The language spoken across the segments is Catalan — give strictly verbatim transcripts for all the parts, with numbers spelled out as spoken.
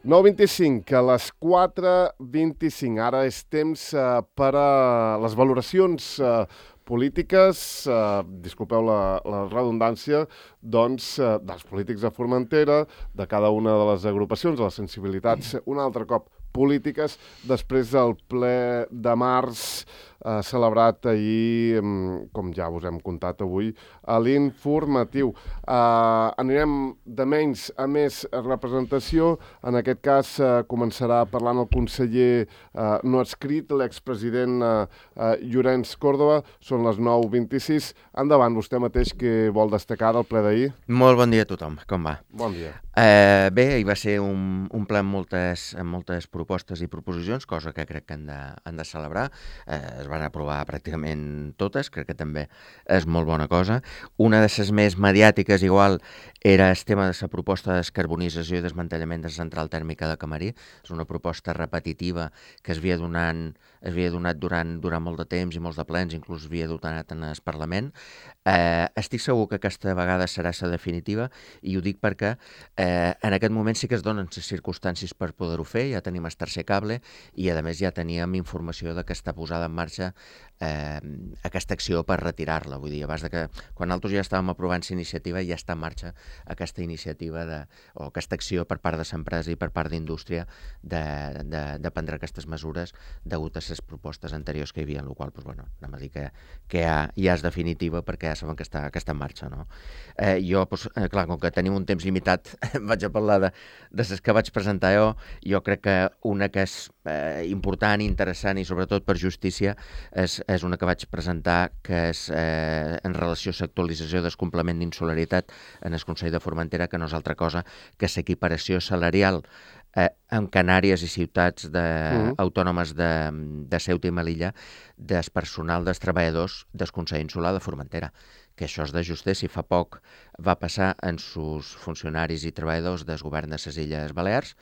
nou vint-i-cinc, a les quatre vint-i-cinc. Ara és temps eh, per a les valoracions eh, polítiques, eh, disculpeu la, la redundància, doncs, eh, dels polítics de Formentera, de cada una de les agrupacions, de les sensibilitats, un altre cop polítiques, després del ple de març eh, celebrat ahir, com ja us hem contat avui, a l'informatiu. Eh, anirem de menys a més representació. En aquest cas eh, començarà parlant el conseller eh, no adscrit, l'expresident eh, eh, Llorenç Córdoba. Són les nou vint-i-sis. Endavant, vostè mateix, que vol destacar del ple d'ahir. Molt bon dia a tothom, com va? Bon dia. Eh, bé, hi va ser un, un ple amb moltes, amb moltes propostes i proposicions, cosa que crec que han de, han de celebrar. Eh, es van aprovar pràcticament totes, crec que també és molt bona cosa. Una de les més mediàtiques, igual, era el tema de la proposta de descarbonització i desmantellament de la central tèrmica de Camarí. És una proposta repetitiva que es havia donant, es havia donat durant, durant molt de temps i molts de plens, inclús havia donat en el Parlament. Eh, estic segur que aquesta vegada serà la definitiva, i ho dic perquè eh, en aquest moment sí que es donen les circumstàncies per poder-ho fer. Ja tenim el tercer cable i a més ja teníem informació de que està posada en marxa eh, aquesta acció per retirar-la. Vull dir, abans de que, quan nosaltres ja estàvem aprovant la iniciativa, ja està en marxa aquesta iniciativa de, o aquesta acció per part de l'empresa i per part d'indústria de, de, de prendre aquestes mesures degut a les propostes anteriors que hi havia, en la qual, doncs, bueno, anem a dir que, que ja, ja és definitiva perquè ja saben que està, que està en marxa, no? Eh, jo, doncs, eh, clar, com que tenim un temps limitat, vaig a parlar de, de les que vaig presentar jo. Jo crec que una que és eh, important, interessant i sobretot per justícia és, és una que vaig presentar, que és eh, en relació a l'actualització del complement d'insolidaritat en el Consell de Formentera, que no és altra cosa que l'equiparació salarial eh, en Canàries i ciutats de, uh-huh. autònomes de, de Ceuta i Melilla del personal dels treballadors del Consell Insular de Formentera, que això és de justícia. Si fa poc va passar en sus funcionaris i treballadors del govern de les Illes Balears,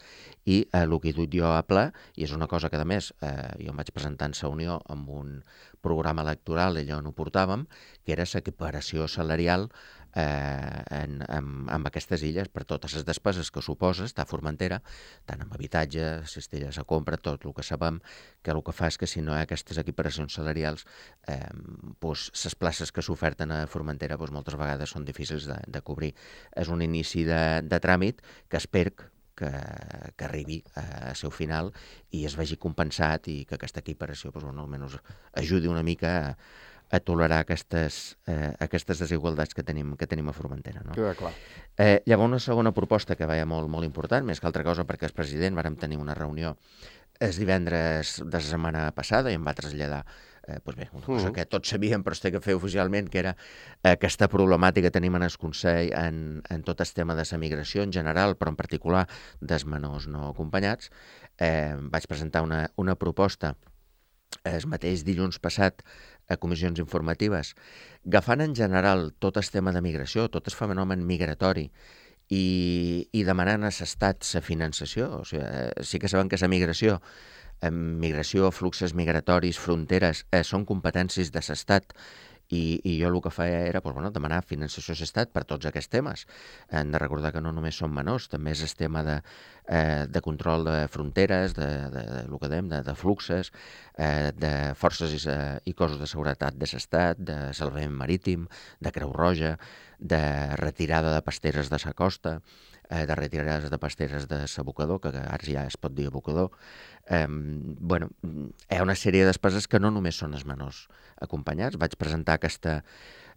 i eh, el que he dut jo a ple, i és una cosa que, a més, eh, jo em vaig presentar en la Unió amb un programa electoral, allò on ho portàvem, que era l'equiparació salarial eh, en, en, en aquestes illes per totes les despeses que suposa estar a Formentera, tant amb habitatge, cistelles a compra, tot el que sabem, que el que fa és que si no hi ha aquestes equiparacions salarials, eh, doncs, les places que s'oferten a Formentera doncs, moltes vegades són difícils de, de cobrir. És un inici de, de tràmit que espero que, que arribi a seu final i es vegi compensat, i que aquesta equiparació doncs, bueno, almenys ajudi una mica a, a tolerar aquestes, eh, aquestes desigualtats que tenim, que tenim a Formentera. No? Queda clar. Eh, llavors, una segona proposta que veia molt, molt important, més que altra cosa perquè el president vàrem tenir una reunió el divendres de la setmana passada i em va traslladar eh, doncs bé, una cosa uh-huh. que tots sabíem però es té que fer oficialment, que era eh, aquesta problemàtica que tenim en el Consell en, en tot el tema de la migració en general, però en particular dels menors no acompanyats. Eh, vaig presentar una, una proposta el mateix dilluns passat a comissions informatives, agafant en general tot el tema de migració, tot el fenomen migratori, i, i demanant a l'estat la finançació. O sigui, eh, sí que saben que la migració, eh, migració, fluxos migratoris, fronteres, eh, són competències de l'estat, i, i jo el que feia era doncs, bueno, demanar finançació a l'estat per tots aquests temes. Hem de recordar que no només són menors, també és el tema de, eh, de control de fronteres, de, de, de, de, que dèiem, de, de fluxes, eh, de forces i, i cossos de seguretat de l'estat, de salvament marítim, de Creu Roja, de retirada de pasteres de la costa, eh, de retirades de pasteres de l'abocador, que ara ja es pot dir abocador. Eh, bueno, hi ha una sèrie de despeses que no només són els menors acompanyats. Vaig presentar aquesta,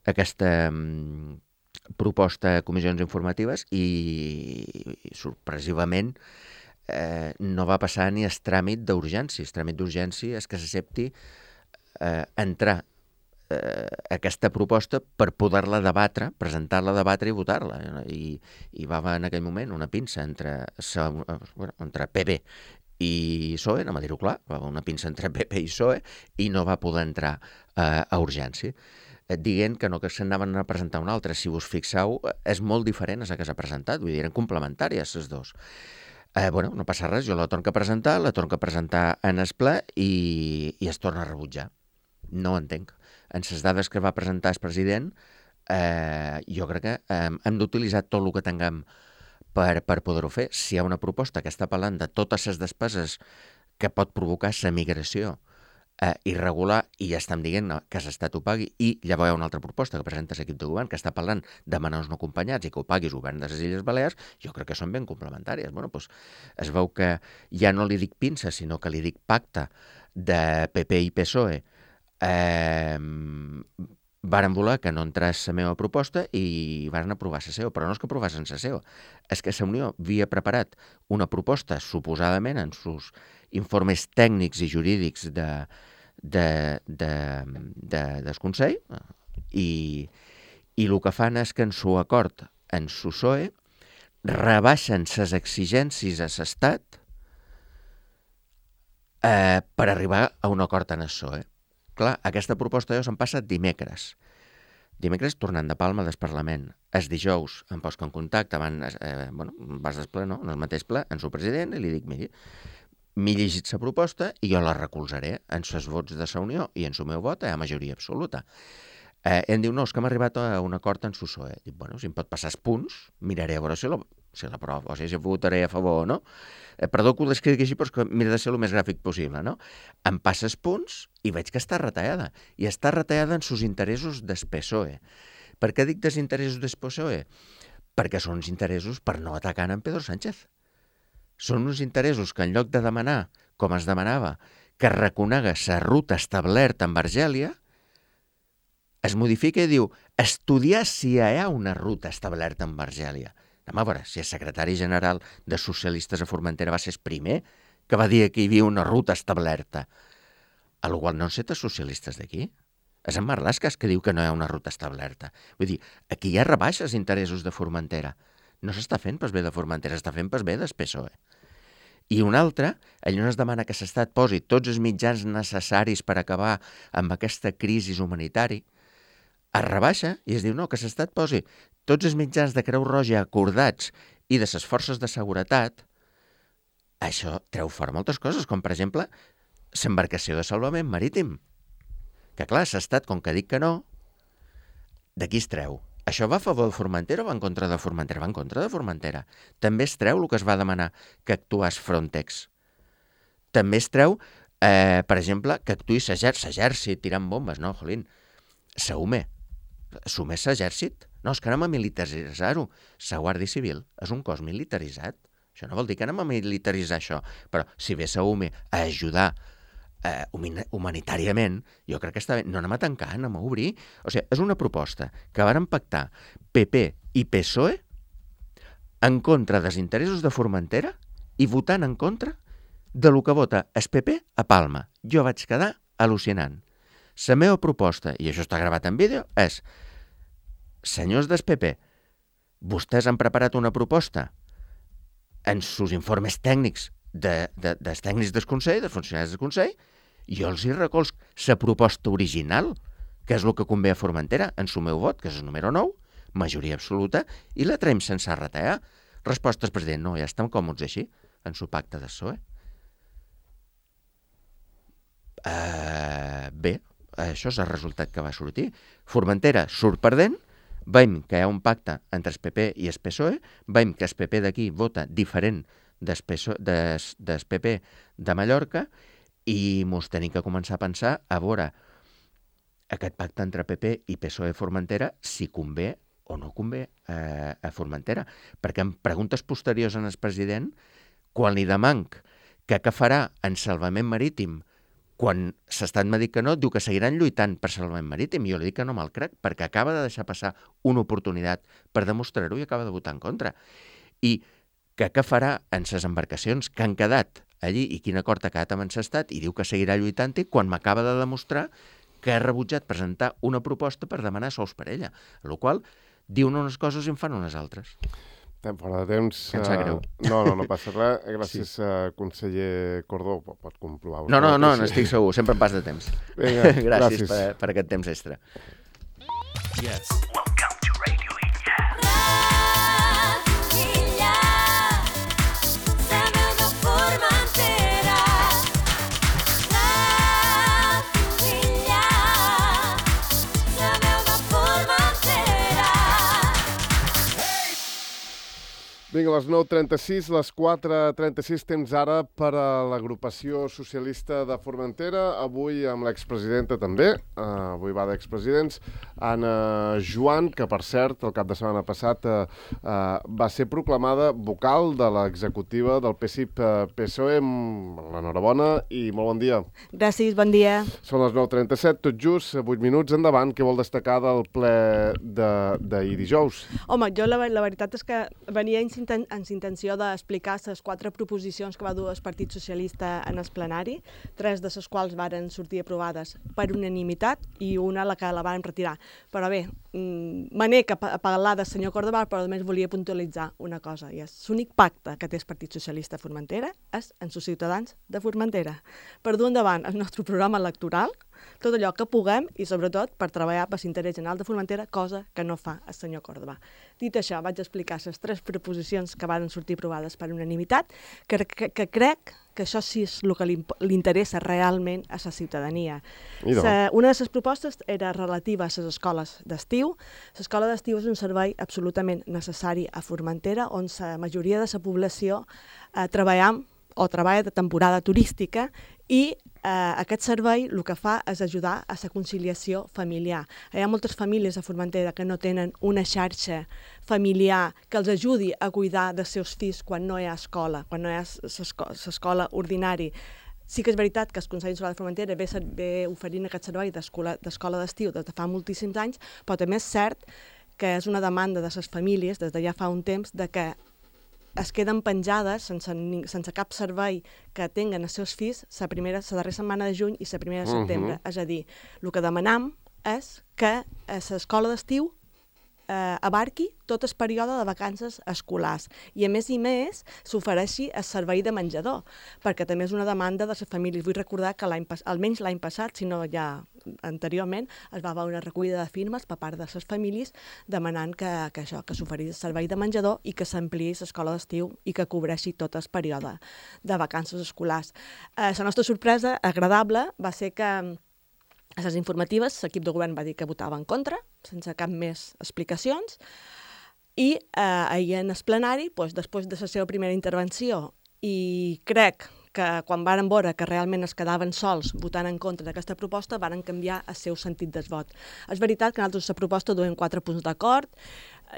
aquesta um, proposta a comissions informatives i, i sorpresivament eh, no va passar ni el tràmit d'urgència. El tràmit d'urgència és que s'accepti eh, entrar eh, aquesta proposta per poder-la debatre, presentar-la, debatre i votar-la. I, i va haver en aquell moment una pinça entre, bueno, entre P B i P S O E, anem a dir-ho clar, va haver una pinça entre P P i P S O E i no va poder entrar eh, a urgència, dient que no, que s'anaven a presentar una altra. Si us fixeu, és molt diferent a la que s'ha presentat, vull dir, eren complementàries les dos. Eh, bueno, no passa res, jo la torno a presentar, la torno a presentar en el ple i, i es torna a rebutjar. No ho entenc. En les dades que va presentar el president, eh, jo crec que eh, hem d'utilitzar tot el que tinguem per, per poder-ho fer. Si hi ha una proposta que està parlant de totes les despeses que pot provocar la migració eh, irregular i ja estem dient que l'Estat ho pagui, i llavors hi ha una altra proposta que presenta l'equip de govern que està parlant de menors no acompanyats i que ho pagui el govern de les Illes Balears, jo crec que són ben complementàries. Bueno, doncs es veu que ja no li dic pinça, sinó que li dic pacte de P P i P S O E. Eh, varen voler que no entrés la meva proposta i varen aprovar la seva, però no és que aprovassen la seva, és que la Unió havia preparat una proposta, suposadament, en sus informes tècnics i jurídics de, de, de, de, del Consell, i, i el que fan és que en su acord, en su P S O E, rebaixen les exigències a l'Estat eh, per arribar a un acord en el P S O E. Clar, aquesta proposta jo se'm passa dimecres. Dimecres tornant de Palma del Parlament. El dijous em poso en contacte, van, eh, bueno, vas del ple, no? En el mateix ple, en su president, i li dic, miri, m'he llegit la proposta i jo la recolzaré en els vots de la Unió i en el meu vot hi ha majoria absoluta. Eh, em diu, no, és que hem arribat a un acord en el P S O E. Dic, bueno, si em pot passar els punts, miraré a veure si la, si la prova, o sigui, si votaré a favor o no. Eh, perdó que ho descrigui així, però és que mira de ser el més gràfic possible, no? Em passa els punts i veig que està retallada. I està retallada en sus interessos del P S O E. Per què dic dels interessos del P S O E? Perquè són uns interessos per no atacar en Pedro Sánchez. Són uns interessos que en lloc de demanar, com es demanava, que reconega la ruta establerta amb Argèlia, es modifica i diu estudiar si hi ha una ruta establerta amb Argèlia. Anem a veure, si el secretari general de Socialistes a Formentera va ser el primer que va dir que hi havia una ruta establerta, a lo qual no han set els socialistes d'aquí. És en Marlaska que diu que no hi ha una ruta establerta. Vull dir, aquí hi ha rebaixes interessos de Formentera. No s'està fent pas bé de Formentera, s'està fent pas bé del P S O E. I un altre, allò no es demana que l'Estat posi tots els mitjans necessaris per acabar amb aquesta crisi humanitària, es rebaixa i es diu no, que l'Estat posi tots els mitjans de Creu Roja acordats i de les forces de seguretat. Això treu fora moltes coses, com per exemple l'embarcació de salvament marítim. Que clar, l'Estat, com que dic que no, d'aquí es treu. Això va a favor de Formentera o va en contra de Formentera? Va en contra de Formentera. També es treu el que es va demanar que actués Frontex. També es treu, eh, per exemple, que actuï l'exèrcit tirant bombes. No, jolín, s'UME. S'UME és l'exèrcit. No, és que anem a militaritzar-ho. La Guàrdia Civil és un cos militaritzat. Això no vol dir que anem a militaritzar això. Però si ve l'UME a ajudar eh, humanitàriament, jo crec que està bé. No anem a tancar, anem a obrir. O sigui, és una proposta que varen pactar P P i P S O E en contra dels interessos de Formentera i votant en contra de lo que vota el P P a Palma. Jo vaig quedar al·lucinant. La meva proposta, i això està gravat en vídeo, és: senyors del P P, vostès han preparat una proposta en sus informes tècnics de, de, dels tècnics del Consell, dels funcionaris del Consell, jo els hi recolz la proposta original, que és el que convé a Formentera, en su meu vot, que és el número nou, majoria absoluta, i la traiem sense retallar. Resposta al president: no, ja estem còmodes així, en su pacte de P S O E. Uh, bé, això és el resultat que va sortir. Formentera surt perdent, veiem que hi ha un pacte entre el P P i el P S O E, veiem que el P P d'aquí vota diferent del P P de Mallorca i mos tenim que començar a pensar a veure aquest pacte entre P P i P S O E Formentera si convé o no convé eh, a Formentera. Perquè en preguntes posteriors en el president, quan li demanc que què farà en salvament marítim, quan s'estat m'ha dit que no, diu que seguiran lluitant per salvament marítim. I jo li dic que no me'l crec, perquè acaba de deixar passar una oportunitat per demostrar-ho i acaba de votar en contra. I que què farà en les embarcacions que han quedat allí i quin acord ha quedat amb l'Estat, i diu que seguirà lluitant-hi quan m'acaba de demostrar que ha rebutjat presentar una proposta per demanar sous per ella, a la qual diuen unes coses i en fan unes altres. Estem fora de temps. Que em sap greu. Uh, no, no, no passa res. Gràcies, sí. uh, conseller Cordó. Pot comprovar. No, no, no, n'estic segur. Sempre em pas de temps. Vinga, gràcies, gràcies. Per, per aquest temps extra. Yes. Vinga, a les nou trenta-sis, les quatre trenta-sis, temps ara per a l'agrupació socialista de Formentera, avui amb l'expresidenta també, uh, avui va d'expresidents, Anna Joan, que per cert, el cap de setmana passat uh, uh, va ser proclamada vocal de l'executiva del P S I P-P S O E. L'enhorabona i molt bon dia. Gràcies, bon dia. Són les nou trenta-set, tot just, vuit minuts endavant. Què vol destacar del ple d'ahir dijous? Home, jo la, la veritat és que venia en intenció d'explicar les quatre proposicions que va dur el Partit Socialista en el plenari, tres de les quals varen sortir aprovades per unanimitat i una la que la van retirar. Però bé, me n'he a parlar del senyor Córdoba, però només volia puntualitzar una cosa, i és l'únic pacte que té el Partit Socialista a Formentera és amb els ciutadans de Formentera. Per dur endavant el nostre programa electoral, tot allò que puguem i, sobretot, per treballar per l'interès general de Formentera, cosa que no fa el senyor Córdoba. Dit això, vaig explicar les tres proposicions que van sortir aprovades per unanimitat, que, que, que crec que això sí és el que li, li interessa realment a la ciutadania. Sa, una de les propostes era relativa a les escoles d'estiu. L'escola d'estiu és un servei absolutament necessari a Formentera, on la majoria de la població eh, treballa o treballa de temporada turística i eh, aquest servei el que fa és ajudar a la conciliació familiar. Hi ha moltes famílies a Formentera que no tenen una xarxa familiar que els ajudi a cuidar dels seus fills quan no hi ha escola, quan no hi ha l'escola ordinari. Sí que és veritat que el Consell Escolar de Formentera ve, ve oferint aquest servei d'escola d'estiu des de fa moltíssims anys, però també és cert que és una demanda de les famílies des de ja fa un temps de que es queden penjades sense, sense cap servei que tinguen els seus fills la primera, la darrera setmana de juny i la primera de setembre. Uh -huh. És a dir, el que demanam és que l'escola d'estiu eh, abarqui tot el període de vacances escolars i, a més i més, s'ofereixi el servei de menjador, perquè també és una demanda de les famílies. Vull recordar que l'any almenys l'any passat, si no ja anteriorment, es va veure una recollida de firmes per part de les famílies demanant que, que això, que s'oferís el servei de menjador i que s'ampliïs l'escola d'estiu i que cobreixi tot el període de vacances escolars. Eh, la nostra sorpresa agradable va ser que a les informatives l'equip de govern va dir que votava en contra, sense cap més explicacions, i eh, ahir en el plenari, doncs, després de la seva primera intervenció, i crec que quan varen veure que realment es quedaven sols votant en contra d'aquesta proposta, varen canviar el seu sentit del vot. És veritat que nosaltres la proposta duem quatre punts d'acord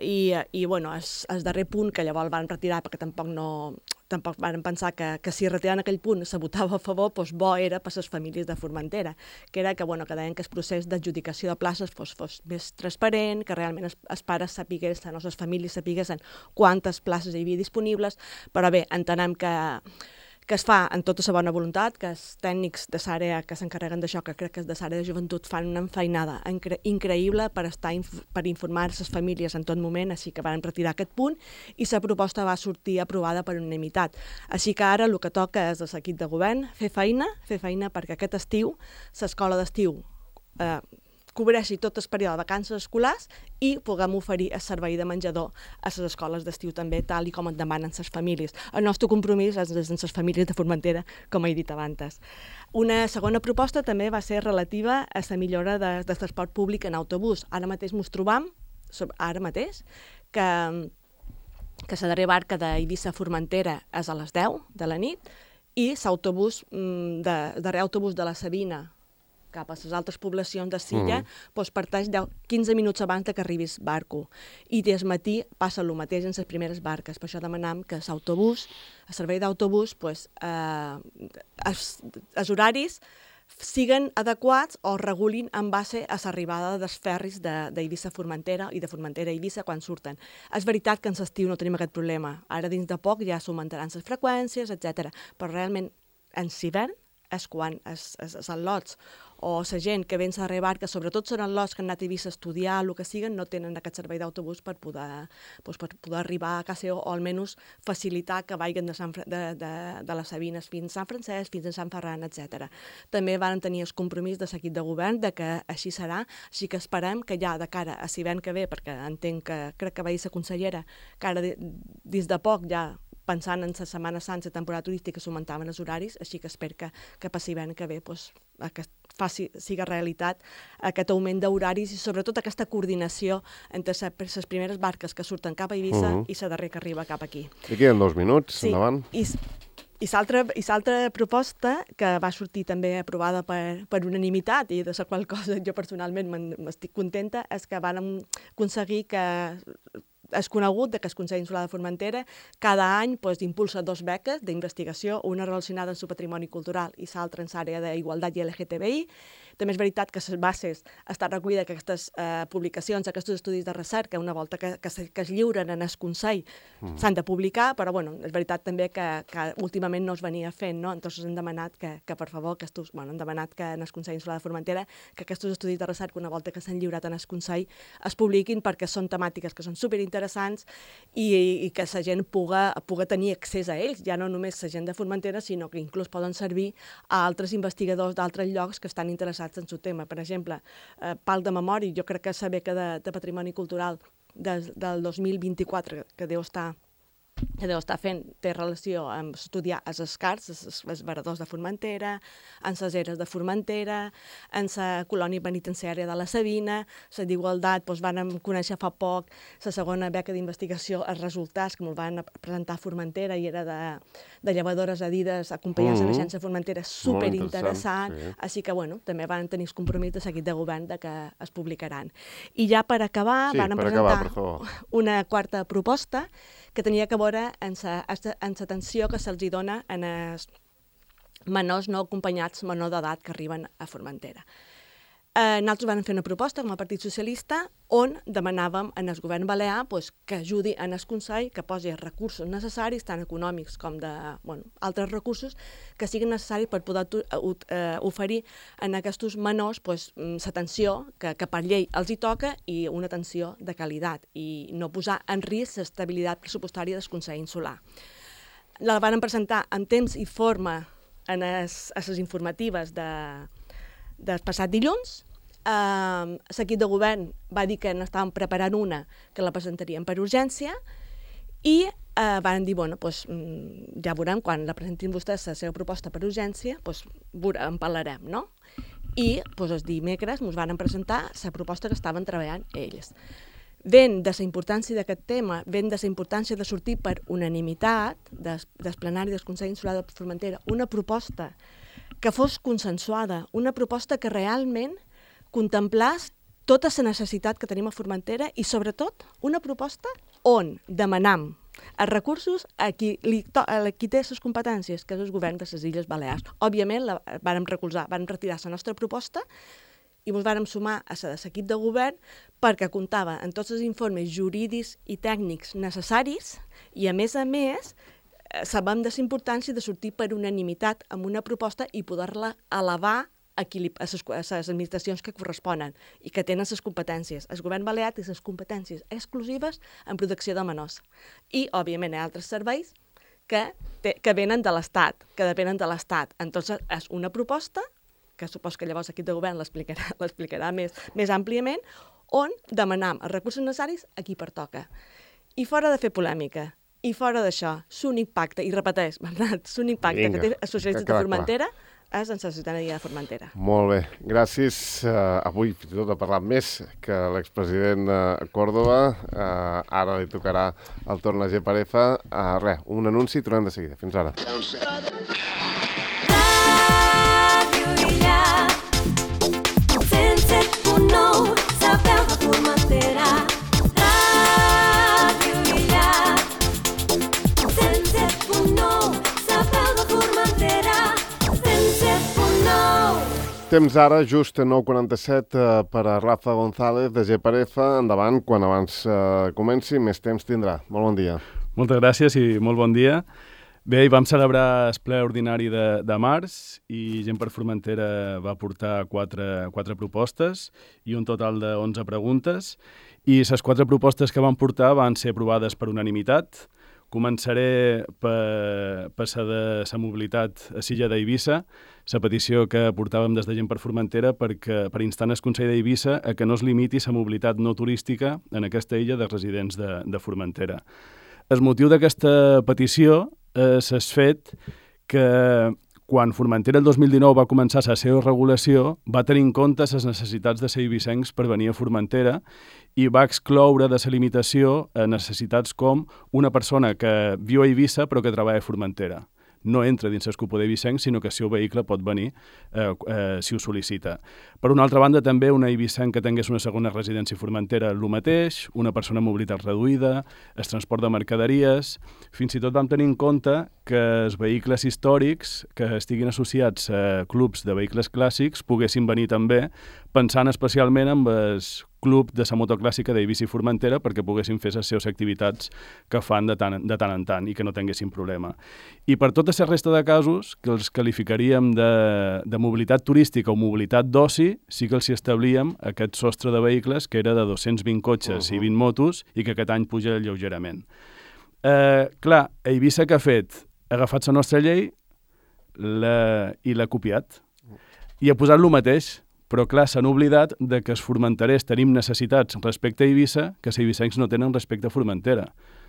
i, i bueno, és el darrer punt que llavors van retirar perquè tampoc no... tampoc van pensar que, que si retiraven aquell punt se votava a favor, doncs bo era per les famílies de Formentera, que era que, bueno, que deien que el procés d'adjudicació de places fos, fos més transparent, que realment els, els pares sapiguessin, o les famílies sapiguessin quantes places hi havia disponibles, però bé, entenem que que es fa en tota la bona voluntat, que els tècnics de l'àrea que s'encarreguen d'això, que crec que és de l'àrea de joventut, fan una enfeinada incre increïble per estar inf per informar les famílies en tot moment, així que van retirar aquest punt i la proposta va sortir aprovada per unanimitat. Així que ara el que toca és a l'equip de govern fer feina, fer feina perquè aquest estiu, l'escola d'estiu, eh, cobreixi tot el període de vacances escolars i puguem oferir el servei de menjador a les escoles d'estiu també, tal i com et demanen les famílies. El nostre compromís és amb les famílies de Formentera, com he dit abans. Una segona proposta també va ser relativa a la millora de, de transport públic en autobús. Ara mateix ens trobam, ara mateix, que, que la darrera barca d'Eivissa a Formentera és a les deu de la nit i l'autobús, de, darrer autobús de la Sabina cap a les altres poblacions de Silla, mm. doncs parteix quinze minuts abans de que arribis barco. I des matí passa el mateix en les primeres barques. Per això demanam que l'autobús, el servei d'autobús, doncs, eh, els, els horaris siguen adequats o regulin en base a l'arribada dels ferris d'Eivissa a Formentera i de Formentera a Eivissa quan surten. És veritat que en l'estiu no tenim aquest problema. Ara dins de poc ja s'augmentaran les freqüències, etcètera. Però realment en l'hivern és quan els lots o la gent que ven a rebar, que sobretot són els lots que han anat a Eivissa a estudiar, el que siguen, no tenen aquest servei d'autobús per poder, doncs, per poder arribar a casa o almenys facilitar que vagin de, Sant, de, de, de les Sabines fins a Sant Francesc, fins a Sant Ferran, etcètera. També van tenir el compromís de l'equip de govern de que així serà, així que esperem que ja de cara a l'hivern que ve, perquè entenc que crec que va dir la consellera, que ara dins de poc ja pensant en la Setmana Santa, la temporada turística, s'augmentaven els horaris, així que espero que, que passi l'any que ve pues, que faci, siga realitat aquest augment d'horaris i sobretot aquesta coordinació entre les primeres barques que surten cap a Eivissa uh -huh. i la darrera que arriba cap aquí. I queden dos minuts, sí. endavant. I, i l'altra proposta, que va sortir també aprovada per, per unanimitat i de la qual cosa jo personalment m'estic contenta, és que vam aconseguir que és conegut que el Consell Insular de Formentera cada any pues, impulsa dos beques d'investigació, una relacionada amb el patrimoni cultural i l'altra en l'àrea d'igualtat i L G T B I. També és veritat que les bases estan recollides que aquestes eh, publicacions, aquests estudis de recerca, una volta que, que, se, que es lliuren en el Consell, mm. s'han de publicar, però bueno, és veritat també que, que últimament no es venia fent, no? Entonces hem demanat que, que per favor, aquestos, bueno, hem demanat que en el Consell Insular de Formentera que aquests estudis de recerca, una volta que s'han lliurat en el Consell, es publiquin perquè són temàtiques que són superinteressants i, i que la gent puga, puga tenir accés a ells, ja no només la gent de Formentera, sinó que inclús poden servir a altres investigadors d'altres llocs que estan interessats en el tema. Per exemple, eh, Parc de Memòria, jo crec que la beca de, de Patrimoni Cultural des, del dos mil vint-i-quatre, que deu estar que deu estar fent, té relació amb estudiar els escars, els, els varadors de Formentera, en les eres de Formentera, en la colònia penitenciària de la Sabina, la d'igualtat, doncs vam conèixer fa poc la segona beca d'investigació, els resultats, que me'l van presentar a Formentera i era de, de llevadores adides acompanyats mm -hmm. de l'agència Formentera, superinteressant, sí. Així que, bueno, també van tenir el compromís de seguit de govern de que es publicaran. I ja per acabar, sí, van per presentar acabar, una quarta proposta que tenia que veure en l'atenció que se'ls dona en els menors no acompanyats, menors d'edat que arriben a Formentera. Eh, nosaltres vam fer una proposta com a Partit Socialista on demanàvem en el govern balear pues, que ajudi en el Consell, que posi els recursos necessaris, tant econòmics com de bueno, altres recursos, que siguin necessaris per poder eh, oferir en aquests menors pues, l'atenció que, que per llei els hi toca i una atenció de qualitat i no posar en risc l'estabilitat pressupostària del Consell Insular. La van presentar en temps i forma en les informatives de del passat dilluns. Uh, l'equip de govern va dir que n'estàvem preparant una que la presentarien per urgència i uh, van dir, bueno, pues, ja veurem, quan la presentin vostès la seva proposta per urgència, pues, en parlarem, no? I pues, els dimecres ens van presentar la proposta que estaven treballant ells. Ven de la importància d'aquest tema, ven de la importància de sortir per unanimitat des, des plenari del Consell Insular de Formentera una proposta que fos consensuada, una proposta que realment contemplés tota la necessitat que tenim a Formentera i, sobretot, una proposta on demanam els recursos a qui, li, a qui té les competències, que és el govern de les Illes Balears. Òbviament, la vàrem recolzar, vàrem retirar la nostra proposta i ens vàrem sumar a la de l'equip de govern perquè comptava en tots els informes jurídics i tècnics necessaris i, a més a més, sabem de la importància de sortir per unanimitat amb una proposta i poder-la elevar a, qui, a, les, a les administracions que corresponen i que tenen les competències. El govern balear té les competències exclusives en protecció de menors. I, òbviament, hi ha altres serveis que, te, que venen de l'Estat, que depenen de l'Estat. Entonces, és una proposta, que supos que llavors l'equip de govern l'explicarà més, més àmpliament, on demanam els recursos necessaris a qui pertoca. I fora de fer polèmica, i fora d'això, l'únic pacte, i repeteix, Bernat, l'únic pacte Vinga, que té els socialistes de Formentera clar. És en la ciutadania de Formentera. Molt bé, gràcies. Uh, avui fins i tot ha parlat més que l'expresident uh, Córdoba. Uh, ara li tocarà el torn a G per F. Uh, res, un anunci i tornem de seguida. Fins ara. Temps ara, just a nou quaranta-set eh, per a Rafa González de G per F. Endavant, quan abans eh, comenci, més temps tindrà. Molt bon dia. Moltes gràcies i molt bon dia. Bé, hi vam celebrar el ple ordinari de, de març i Gent per Formentera va portar quatre, quatre propostes i un total de onze preguntes. I les quatre propostes que van portar van ser aprovades per unanimitat. Començaré per, per la de la mobilitat a l'illa d'Eivissa, la petició que portàvem des de Gent per Formentera perquè, per instar el Consell d'Eivissa a que no es limiti la mobilitat no turística en aquesta illa de residents de, de Formentera. el motiu d'aquesta petició és el fet que quan Formentera el dos mil dinou va començar la seva regulació, va tenir en compte les necessitats de ser eivissencs per venir a Formentera i va excloure de la limitació necessitats com una persona que viu a Eivissa però que treballa a Formentera. No entra dins l'escopo d'eivissencs, sinó que el seu vehicle pot venir eh, eh, si ho sol·licita. Per una altra banda, també una eivissenc que tingués una segona residència a Formentera, el mateix, una persona amb mobilitat reduïda, el transport de mercaderies. Fins i tot vam tenir en compte que els vehicles històrics que estiguin associats a clubs de vehicles clàssics poguessin venir també, pensant especialment en el club de la motoclàssica d'Eivissa i Formentera perquè poguessin fer les seves activitats que fan de tant, de tant en tant i que no tinguessin problema. I per tota la resta de casos, que els qualificaríem de, de mobilitat turística o mobilitat d'oci, sí que els hi establíem aquest sostre de vehicles que era de dos-cents vint cotxes uh-huh. i vint motos i que aquest any puja lleugerament. Eh, clar, Eivissa què ha fet? Ha agafat la nostra llei la, i l'ha copiat i ha posat el mateix. Però, clar, s'han oblidat de que els formenterers tenim necessitats respecte a Eivissa que els eivissencs no tenen respecte a Formentera.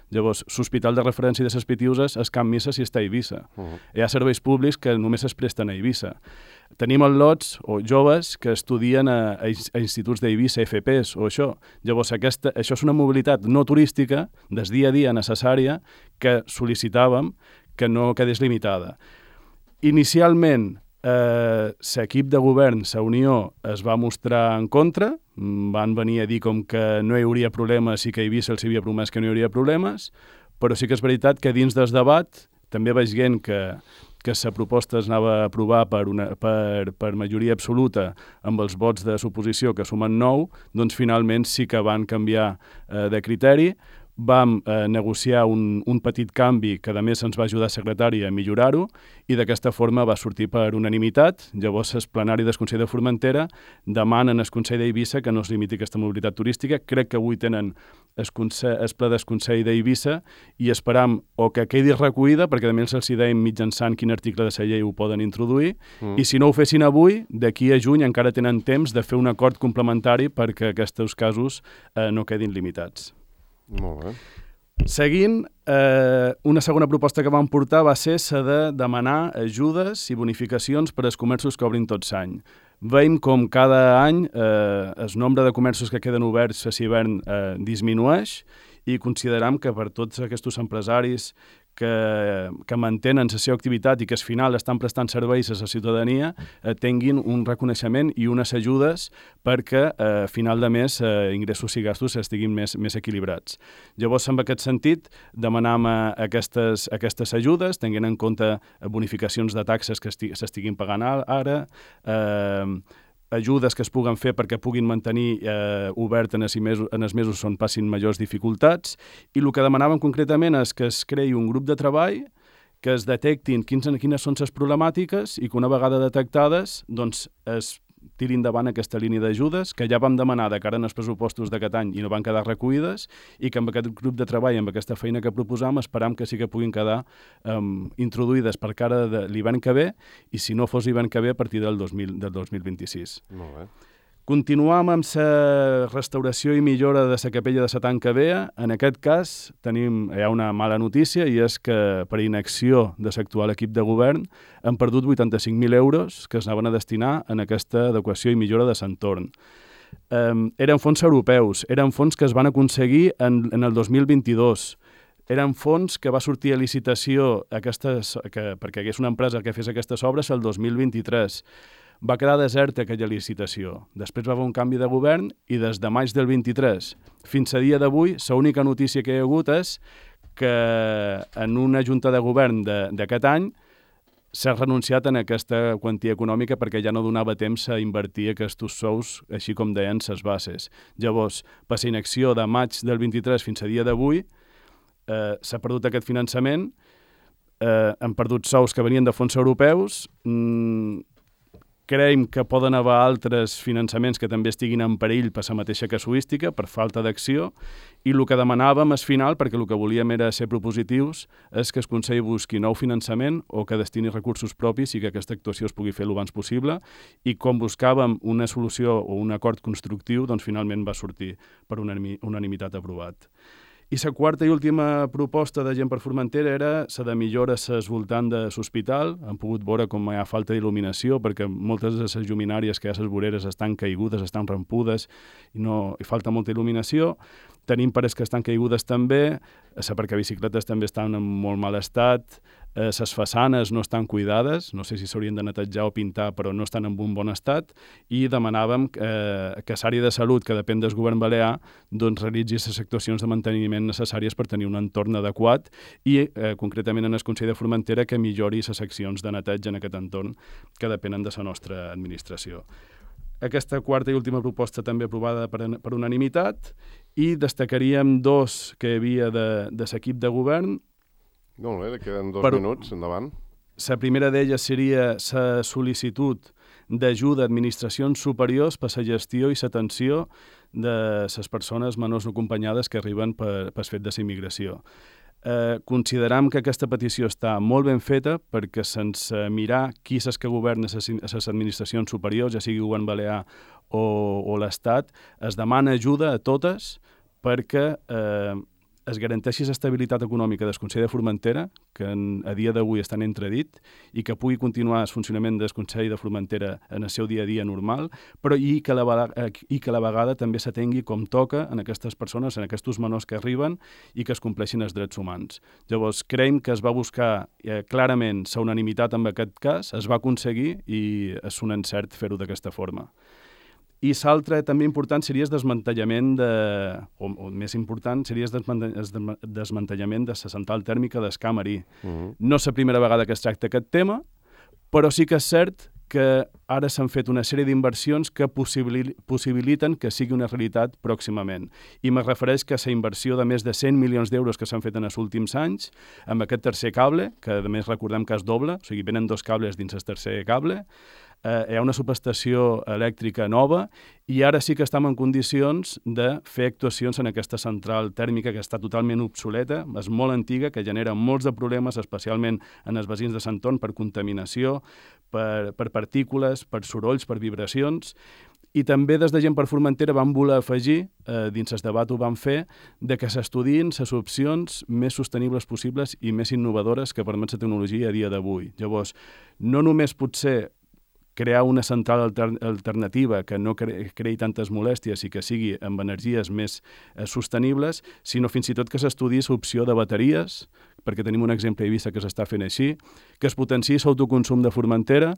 Llavors, l'hospital de referència de les Pitiuses es Can Missa si està a Eivissa. Uh-huh. Hi ha serveis públics que només es presten a Eivissa. Tenim al·lots o joves que estudien a, a instituts d'Eivissa, F Ps o això. Llavors, aquesta, això és una mobilitat no turística, des dia a dia necessària, que sol·licitàvem que no quedés limitada. Inicialment, Eh, l'equip de govern, la Unió, es va mostrar en contra, van venir a dir com que no hi hauria problemes i que a Eivissa els havia promès que no hi hauria problemes, però sí que és veritat que dins del debat, també veient que, que la proposta es anava a aprovar per, una, per, per majoria absoluta amb els vots de suposició que sumen nou, doncs finalment sí que van canviar eh, de criteri. Vam eh, negociar un, un petit canvi que a més ens va ajudar el secretari a millorar-ho i d'aquesta forma va sortir per unanimitat. Llavors el plenari del Consell de Formentera demanen al Consell d'Eivissa que no es limiti aquesta mobilitat turística. Crec que avui tenen el, consell, el ple del Consell d'Eivissa i esperam o que quedi recollida, perquè també els hi deim mitjançant quin article de la llei ho poden introduir, mm. i si no ho fessin avui, d'aquí a juny encara tenen temps de fer un acord complementari perquè aquests casos eh, no quedin limitats. Molt bé. Seguint, eh, una segona proposta que vam portar va ser la de demanar ajudes i bonificacions per als comerços que obrin tot l'any. Veiem com cada any eh, el nombre de comerços que queden oberts a l'hivern eh, disminueix i consideram que per tots aquests empresaris que, que mantenen la seva activitat i que al final estan prestant serveis a la ciutadania eh, tinguin un reconeixement i unes ajudes perquè a eh, final de mes eh, ingressos i gastos estiguin més, més equilibrats. Llavors, en aquest sentit, demanam eh, aquestes, aquestes ajudes, tenint en compte bonificacions de taxes que s'estiguin pagant ara, eh, ajudes que es puguen fer perquè puguin mantenir eh, obert en els mesos, en els mesos on passin majors dificultats, i el que demanàvem concretament és que es creï un grup de treball, que es detectin quins, quines són les problemàtiques i que una vegada detectades doncs, es tiri endavant aquesta línia d'ajudes, que ja vam demanar de cara als pressupostos d'aquest any i no van quedar recollides, i que amb aquest grup de treball, amb aquesta feina que proposam, esperam que sí que puguin quedar um, introduïdes per cara de l'hivern que ve, i si no fos l'hivern que ve, a partir del dos mil, del dos mil vint-i-sis. Molt bé. Continuam amb la restauració i millora de la capella de la Tanca Vea. En aquest cas tenim, hi ha una mala notícia, i és que per inacció de l'actual equip de govern han perdut vuitanta-cinc mil euros que es anaven a destinar en aquesta adequació i millora de l'entorn. Um, eren fons europeus, eren fons que es van aconseguir en, en el dos mil vint-i-dos. Eren fons que va sortir a licitació aquestes, que, perquè hi hagués una empresa que fes aquestes obres el dos mil vint-i-tres. Va quedar deserta aquella licitació. Després va haver un canvi de govern i des de maig del vint-i-tres fins a dia d'avui, l'única notícia que hi ha hagut és que en una junta de govern d'aquest any s'ha renunciat en aquesta quantia econòmica perquè ja no donava temps a invertir aquests sous, així com deien les bases. Llavors, per la inacció de maig del vint-i-tres fins a dia d'avui, eh, s'ha perdut aquest finançament, eh, han perdut sous que venien de fons europeus, mmm, creiem que poden haver altres finançaments que també estiguin en perill per la mateixa casuística, per falta d'acció, i el que demanàvem al final, perquè el que volíem era ser propositius, és que el Consell busqui nou finançament o que destini recursos propis i que aquesta actuació es pugui fer el abans possible, i com buscàvem una solució o un acord constructiu, doncs finalment va sortir per unanimitat aprovat. I la quarta i última proposta de Gent per Formentera era la de millores al voltant de l'hospital. Hem pogut veure com hi ha falta d'il·luminació, perquè moltes de les lluminàries que hi ha a les voreres estan caigudes, estan rampudes, i, no, i falta molta il·luminació. Tenim pares que estan caigudes també, les aparcabicicletes també estan en molt mal estat, les eh, façanes no estan cuidades, no sé si s'haurien de netejar o pintar, però no estan en un bon estat, i demanàvem eh, que l'àrea de salut, que depèn del govern balear, doncs realitzi les actuacions de manteniment necessàries per tenir un entorn adequat i, eh, concretament en el Consell de Formentera, que millori les accions de neteja en aquest entorn que depenen de la nostra administració. Aquesta quarta i última proposta també aprovada per, per unanimitat, i destacaríem dos que hi havia de, de l'equip de govern. Molt bé, queden dos Per... minuts, endavant. La primera d'elles seria la sol·licitud d'ajuda a administracions superiors per la gestió i l'atenció de les persones menors no acompanyades que arriben per, per fet de la immigració. Eh, consideram que aquesta petició està molt ben feta, perquè sense mirar qui és que governa les administracions superiors, ja sigui govern balear o, o l'Estat, es demana ajuda a totes perquè eh, es garanteixi l'estabilitat econòmica del Consell de Formentera, que en, a dia d'avui està en entredit, i que pugui continuar el funcionament del Consell de Formentera en el seu dia a dia normal, però i que la, i que a la vegada també s'atengui com toca en aquestes persones, en aquests menors que arriben, i que es compleixin els drets humans. Llavors, creiem que es va buscar eh, clarament la unanimitat en aquest cas, es va aconseguir, i és un encert fer-ho d'aquesta forma. I l'altre també important seria el desmantellament de, o, o més important, seria el desmantellament de la central tèrmica d'Escamarí. Uh -huh. No és la primera vegada que es tracta aquest tema, però sí que és cert que ara s'han fet una sèrie d'inversions que possibil possibiliten que sigui una realitat pròximament. I me refereix que la inversió de més de cent milions d'euros que s'han fet en els últims anys, amb aquest tercer cable, que a més recordem que és doble, o sigui, venen dos cables dins el tercer cable, eh, hi ha una subestació elèctrica nova, i ara sí que estem en condicions de fer actuacions en aquesta central tèrmica que està totalment obsoleta, és molt antiga, que genera molts de problemes, especialment en els veïns de l'entorn, per contaminació, per, per partícules, per sorolls, per vibracions. I també des de Gent per Formentera vam voler afegir, eh, dins el debat ho vam fer, de que s'estudiïn les opcions més sostenibles possibles i més innovadores que permet la tecnologia a dia d'avui. Llavors, no només potser crear una central alter alternativa que no cre creï tantes molèsties i que sigui amb energies més eh, sostenibles, sinó fins i tot que s'estudiï l'opció de bateries, perquè tenim un exemple a Eivissa que s'està fent així, que es potenciï l'autoconsum de Formentera,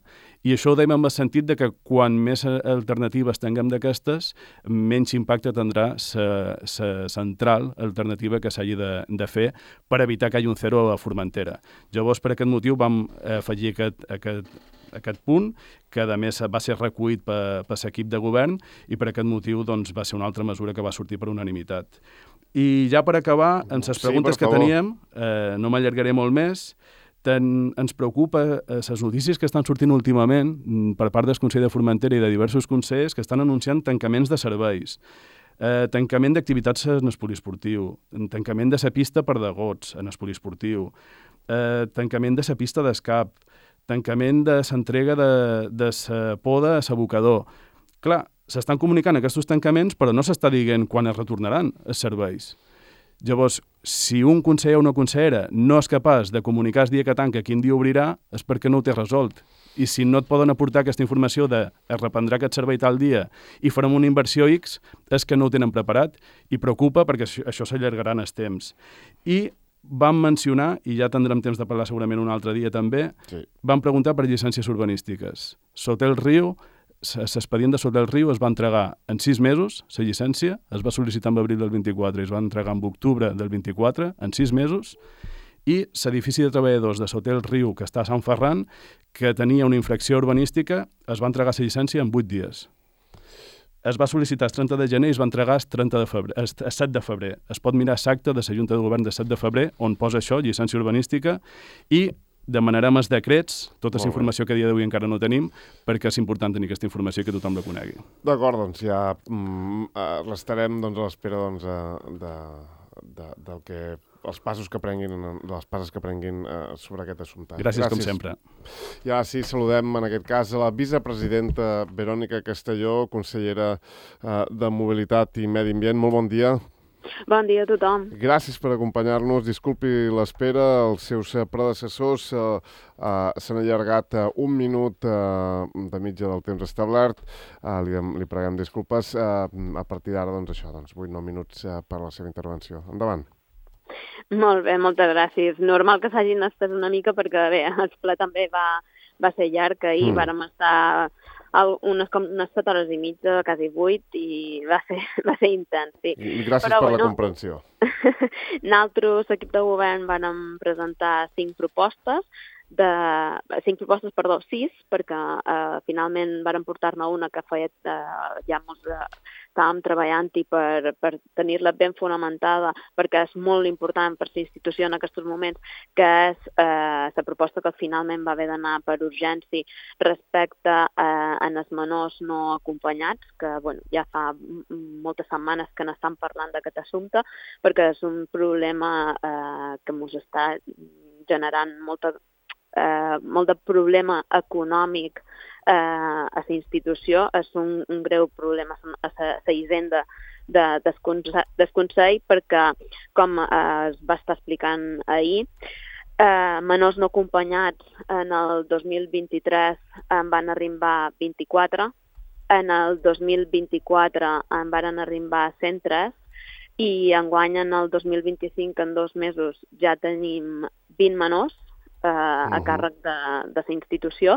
i això ho dèiem en el sentit de que quan més alternatives tinguem d'aquestes, menys impacte tindrà la central alternativa que s'hagi de, de fer per evitar que hi hagi un zero a Formentera. Llavors, per aquest motiu, vam afegir aquest, aquest, aquest punt, que a més va ser recollit per, per l'equip de govern, i per aquest motiu doncs, va ser una altra mesura que va sortir per unanimitat. I ja per acabar, en les preguntes sí, que teníem, eh, no m'allargaré molt més, ten, ens preocupa eh, les notícies que estan sortint últimament per part del Consell de Formentera i de diversos consells que estan anunciant tancaments de serveis, eh, tancament d'activitats en el poliesportiu, tancament de la pista per degots en el poliesportiu, eh, tancament de la pista d'escap, tancament de l'entrega de, de la poda a l'abocador. Clar, s'estan comunicant aquests tancaments, però no s'està dient quan es retornaran els serveis. Llavors, si un conseller o una consellera no és capaç de comunicar el dia que tanca quin dia obrirà, és perquè no ho té resolt. I si no et poden aportar aquesta informació de es reprendrà aquest servei tal dia i farem una inversió X, és que no ho tenen preparat, i preocupa perquè això, això s'allargarà en els temps. I vam mencionar, i ja tindrem temps de parlar segurament un altre dia també, sí. Vam preguntar per llicències urbanístiques. Sotel Riu, l'expedient de Sotel Riu es va entregar en sis mesos, la llicència, es va sol·licitar en abril del vint-i-quatre i es va entregar en octubre del vint-i-quatre, en sis mesos, i l'edifici de treballadors de Sotel Riu, que està a Sant Ferran, que tenia una infracció urbanística, es va entregar la llicència en vuit dies. Es va sol·licitar el trenta de gener i es va entregar el, trenta de febrer, el set de febrer. Es pot mirar l'acte de la Junta de Govern del set de febrer, on posa això, llicència urbanística, i demanarem els decrets, tota aquesta informació que a dia d'avui encara no tenim, perquè és important tenir aquesta informació i que tothom la conegui. D'acord, doncs ja mm, restarem doncs, a l'espera doncs, de, de, del que els passos que prenguin, les passes que prenguin eh, sobre aquest assumpte. Gràcies, Gràcies, com sempre. Ja sí, saludem en aquest cas a la vicepresidenta Verònica Castelló, consellera eh, de Mobilitat i Medi Ambient. Molt bon dia. Bon dia a tothom. Gràcies per acompanyar-nos. Disculpi l'espera. Els seus predecessors eh, eh, s'han allargat eh, un minut eh, de mitja del temps establert. Eh, li, li preguem disculpes. Eh, a partir d'ara, doncs això, doncs vuit nou minuts eh, per a la seva intervenció. Endavant. Molt bé, moltes gràcies. Normal que s'hagin estès una mica perquè, bé, el ple també va, va ser llarg. Ahir mm. vàrem estar unes, com unes set hores i mitja, quasi vuit, i va ser, va ser intens, sí. I gràcies Però, per bueno, la comprensió. Nosaltres, l'equip de govern, vam presentar cinc propostes, de cinc propostes, perdó, sis, perquè eh, finalment varen portar-ne una que feia eh, ja molts eh, estàvem treballant-hi per, per tenir-la ben fonamentada, perquè és molt important per la institució en aquests moments, que és eh, la proposta que finalment va haver d'anar per urgència respecte eh, a els menors no acompanyats, que bueno, ja fa moltes setmanes que n'estan parlant d'aquest assumpte, perquè és un problema eh, que ens està generant molta Eh, molt de problema econòmic eh, a la institució. És un, un greu problema a la hisenda de, del Consell, perquè, com eh, es va estar explicant ahir, eh, menors no acompanyats en el dos mil vint-i-tres en van arribar vint-i-quatre, en el dos mil vint-i-quatre en van arribar cent tres, i enguany en el dos mil vint-i-cinc, en dos mesos, ja tenim vint menors Uh, a càrrec de, de la institució,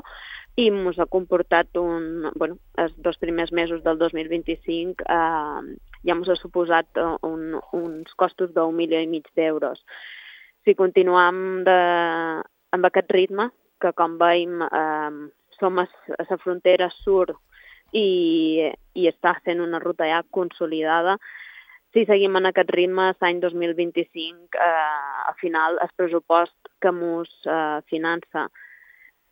i ens ha comportat un, bueno, els dos primers mesos del dos mil vint-i-cinc uh, ja ens ha suposat un, uns costos d'un milió i mig d'euros. Si continuem de, amb aquest ritme, que com veiem uh, som a la frontera sud i, i està sent una ruta ja consolidada, si seguim en aquest ritme, l'any dos mil vint-i-cinc, eh, al final, el pressupost que ens eh, finança,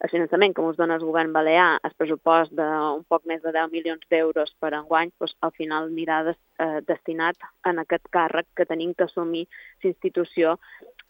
el finançament que ens dona el govern balear, el pressupost d'un poc més de deu milions d'euros per enguany, doncs, al final anirà des, eh, destinat en aquest càrrec que tenim que assumir la institució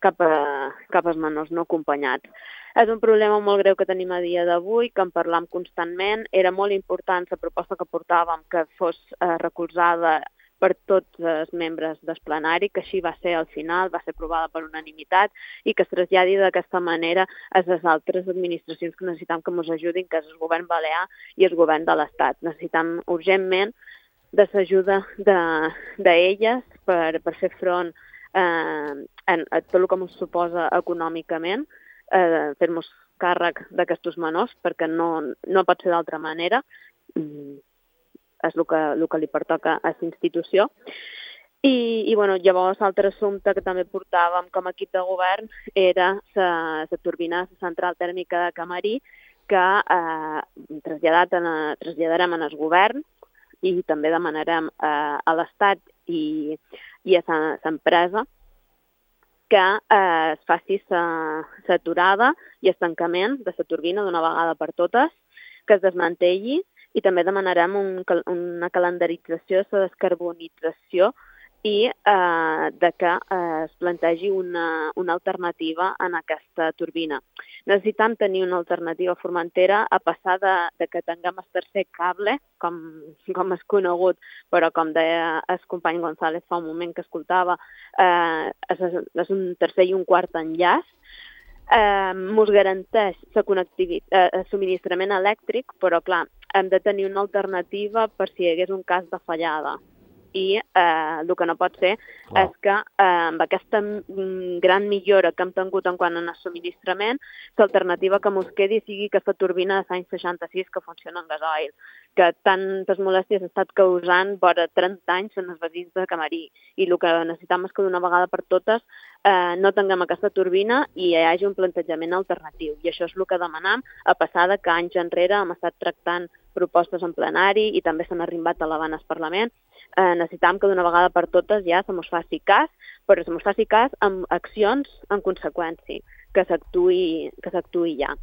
cap, a, cap als menors no acompanyats. És un problema molt greu que tenim a dia d'avui, que en parlam constantment. Era molt important la proposta que portàvem que fos eh, recolzada per tots els membres del plenari, que així va ser al final, va ser aprovada per unanimitat, i que es traslladi d'aquesta manera a les altres administracions que necessitem que ens ajudin, que és el govern balear i el govern de l'Estat. Necessitem urgentment de l'ajuda d'elles de, per, per fer front eh, a, a tot el que ens suposa econòmicament, eh, fer-nos càrrec d'aquests menors, perquè no, no pot ser d'altra manera. És el que, el que li pertoca a la institució. I, i bueno, llavors, l'altre assumpte que també portàvem com a equip de govern era la turbina, la central tèrmica de Camarí, que eh, traslladat en, traslladarem en el govern i també demanarem eh, a l'Estat i, i a l'empresa que eh, es faci l'aturada i el tancament de la turbina d'una vegada per totes, que es desmantelli, i també demanarem un, una calendarització de la descarbonització i eh, de que eh, es plantegi una, una alternativa en aquesta turbina. Necessitem tenir una alternativa a Formentera, a passar de, de que tinguem el tercer cable, com, com és conegut, però com deia el company González fa un moment que escoltava, eh, és, és un tercer i un quart enllaç. Ens eh, garanteix eh, el subministrament elèctric, però clar, hem de tenir una alternativa per si hi hagués un cas de fallada. I eh, el que no pot ser wow. és que eh, amb aquesta gran millora que hem tingut en quant a subministrament, l'alternativa que ens quedi sigui aquesta turbina de l'any seixanta-sis que funciona en gasoil, que tantes molèsties ha estat causant vora trenta anys en els veïns de Camarí. I el que necessitem és que d'una vegada per totes eh, no tinguem aquesta turbina i hi hagi un plantejament alternatiu. I això és el que demanem, a passar de que anys enrere hem estat tractant propostes en plenari i també s'han arribat a l'Havana al Parlament. Eh, necessitam que d'una vegada per totes ja se mos faci cas, però se mos faci cas amb accions en conseqüència, que s'actuï que s'actuï ja.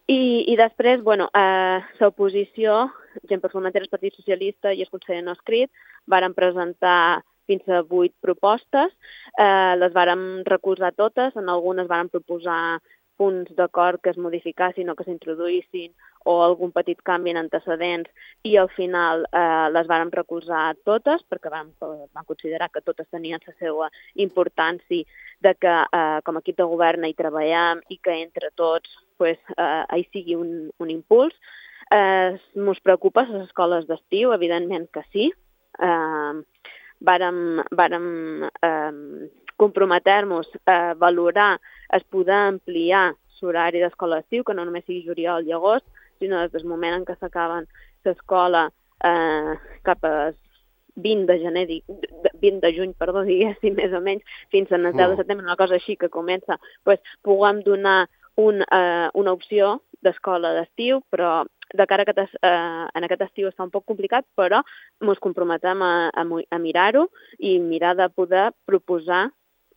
I, i després, bueno, eh, l'oposició, gent per Formentera, el Partit Socialista i el conseller no escrit, varen presentar fins a vuit propostes, eh, les vàrem recolzar totes, en algunes vàrem proposar punts d'acord que es modificassin o que s'introduïssin o algun petit canvi en antecedents, i al final eh, les vàrem recolzar totes, perquè vam, vam considerar que totes tenien la seva importància, de que eh, com a equip de govern hi treballem i que entre tots pues, eh, hi sigui un, un impuls. Eh, mos preocupa les escoles d'estiu? Evidentment que sí. Eh, vàrem vàrem eh, comprometer-nos a valorar es poder ampliar l'horari d'escola d'estiu, que no només sigui juliol i agost, sinó des del moment en què s'acaben l'escola eh, cap a vint de gener, vint de juny, perdó, diguéssim, més o menys, fins al deu de setembre, una cosa així que comença, pues, puguem donar un, eh, una opció d'escola d'estiu, però de cara a aquest, eh, en aquest estiu està un poc complicat, però ens comprometem a, a, a mirar-ho i mirar de poder proposar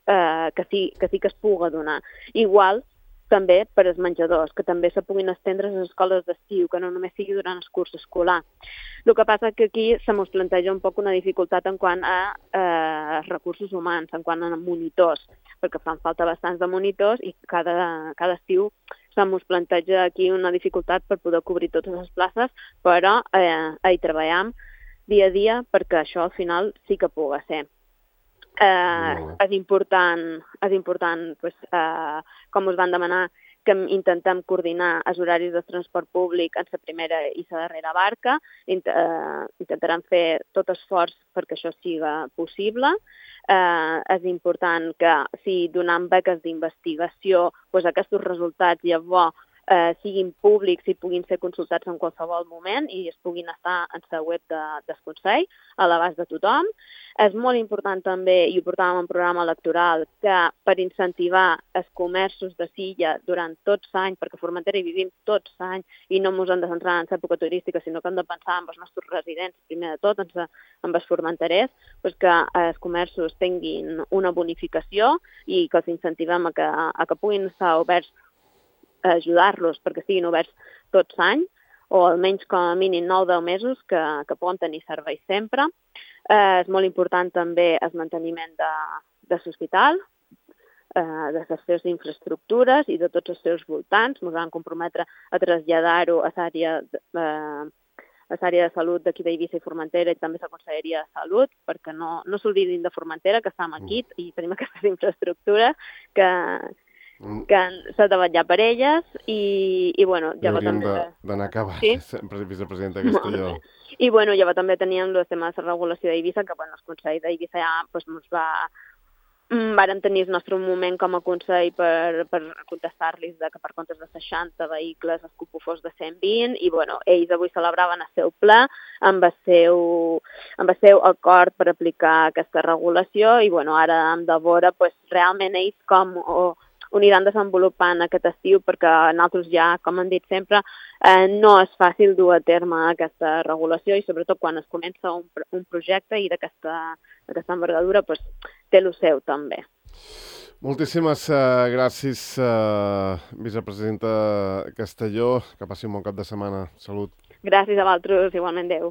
eh, que, sí, que sí que es pugui donar. Igual, també per als menjadors, que també se puguin estendre a les escoles d'estiu, que no només sigui durant el curs escolar. El que passa que aquí se mos planteja un poc una dificultat en quant a eh, recursos humans, en quant a monitors, perquè fan falta bastants de monitors i cada, cada estiu se mos planteja aquí una dificultat per poder cobrir totes les places, però eh, hi treballem dia a dia perquè això al final sí que pugui ser. Eh, és important, és important pues, eh, com us van demanar, que intentem coordinar els horaris de transport públic en la primera i la darrera barca. Int eh, intentarem fer tot esforç perquè això siga possible. Eh, és important que si donem beques d'investigació, pues, aquests resultats llavors eh, siguin públics i puguin ser consultats en qualsevol moment i es puguin estar en la web de, del Consell, a l'abast de tothom. És molt important també, i ho portàvem en programa electoral, que per incentivar els comerços de Silla durant tots l'any, perquè a Formentera hi vivim tots l'any i no ens hem de centrar en l'època turística, sinó que hem de pensar en els nostres residents, primer de tot, en, en els formenterers, pues que els comerços tinguin una bonificació i que els incentivem a que, a que puguin estar oberts, a ajudar-los perquè estiguin oberts tots l'any, o almenys com a mínim nou o deu mesos que, que poden tenir serveis sempre. Eh, és molt important també el manteniment de, de l'hospital, eh, de les seves infraestructures i de tots els seus voltants. Ens vam comprometre a traslladar-ho a l'àrea eh, a l'àrea de salut d'aquí d'Eivissa i Formentera i també a la Conselleria de Salut, perquè no, no s'oblidin de Formentera, que estem aquí i tenim aquestes infraestructures que que s'ha de vetllar per elles i, i bueno, llavors hauríem també... d'anar a acabar, sí? sempre vicepresidenta Castelló. I bueno, llavors també teníem el tema de la regulació d'Eivissa, que bueno, el Consell d'Eivissa ja pues, ens va... Vàrem tenir el nostre moment com a Consell per, per contestar-los que per comptes de seixanta vehicles el cupo fos de cent vint i bueno, ells avui celebraven el seu ple amb el seu, amb el seu acord per aplicar aquesta regulació i bueno, ara hem de veure pues, realment ells com... O, ho aniran desenvolupant aquest estiu perquè nosaltres ja, com hem dit sempre, eh, no és fàcil dur a terme aquesta regulació i sobretot quan es comença un, un projecte i d'aquesta envergadura pues, té el seu també. Moltíssimes uh, gràcies, uh, vicepresidenta Castelló. Que passi un bon cap de setmana. Salut. Gràcies a vosaltres, igualment. Adéu.